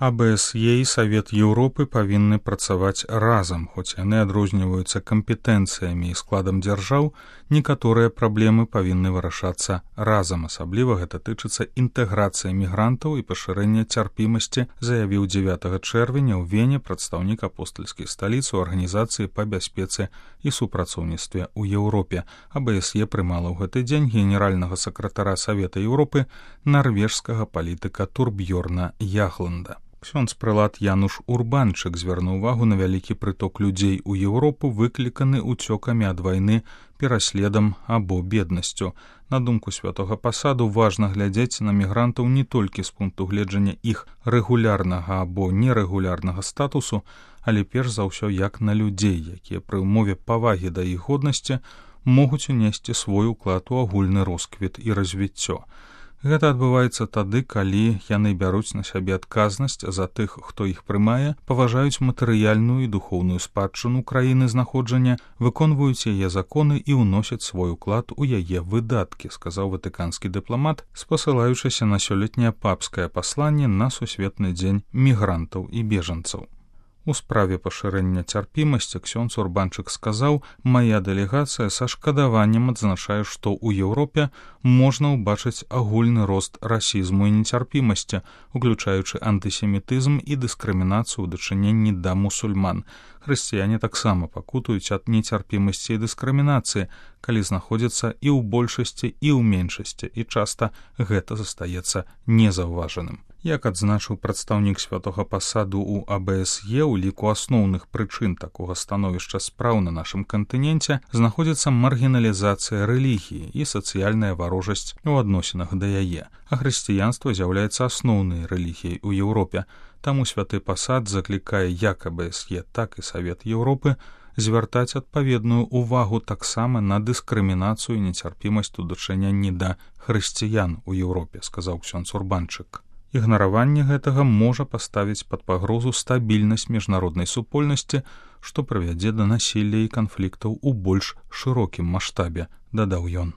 АБСЕ і Савет Еўропы павінны працаваць разам, хоць яны адрозніваюцца кампетэнцыямі і складам дзяржаў, некаторыя праблемы павінны вырашацца разам, асабліва гэта тычыцца інтэграцыі мігрантаў і пашырэння цярпімасці, заявіў 9 чэрвеня ў Вене прадстаўнік апостальскай сталіцы ў арганізацыі па бяспецы і супрацоўніцтве ў Еўропе. АБСЕ прымала ў гэты дзень генеральнага сакратара Савета Еўропы нарвежскага палітыка Турбьёрна Ягланда. Ксёндз-прэлат Януш Урбанчык звярнуў увагу на вялікі прыток людзей у Еўропу, выкліканы ўцёкамі ад вайны, пераследам або беднасцю. На думку святога пасаду, важна глядзець на мігрантаў не толькі з пункту гледжання іх рэгулярнага або нерэгулярнага статусу, але перш за ўсё як на людзей, якія пры ўмове павагі да іх годнасці могуць унесці свой уклад у агульны росквіт і развіццё. Гэта адбываецца тады, калі яны бяруць на сябе адказнасць за тых, хто іх прымае, паважаюць матэрыяльную і духоўную спадчыну краіны знаходжання, выконваюць яе законы і ўносяць свой уклад у яе выдаткі, сказаў ватыканскі дыпламат, спасылаючыся на сёлетняе папскае пасланне на сусветны дзень мігрантаў і бежанцаў. У справе пашырэння цярпімасці ксёндз Урбанчык сказаў: «Мая дэлегацыя са шкадаваннем адзначае, што ў Еўропе можна ўбачыць агульны рост расізму і нецярпімасці, уключаючы антысемітызм і дыскрымінацыю ў дачыненні да мусульман. Хрысціяне таксама пакутуюць ад нецярпімасці і дыскрымінацыі, калі знаходзяцца і ў большасці, і ў меншасці, і часта гэта застаецца незаўважаным». Як адзначыў прадстаўнік святога пасаду ў АБСЕ, у ліку асноўных прычын такога становішча спраў на нашым кантыненце знаходзіцца маргіналізацыя рэлігіі і сацыяльная варожасць у адносінах да яе, а хрысціянства з'яўляецца асноўнай рэлігіяй у Еўропе. Таму святы пасад заклікае як АБСЕ, так і Савет Еўропы звяртаць адпаведную ўвагу таксама на дыскрымінацыю і нецярпімасць у дачыненні да хрысціян у Еўропе, сказаў ксёндз Урбанчык. Ігнараванне гэтага можа паставіць пад пагрозу стабільнасць міжнароднай супольнасці, што прывядзе да насілля і канфліктаў у больш шырокім маштабе, дадаў ён.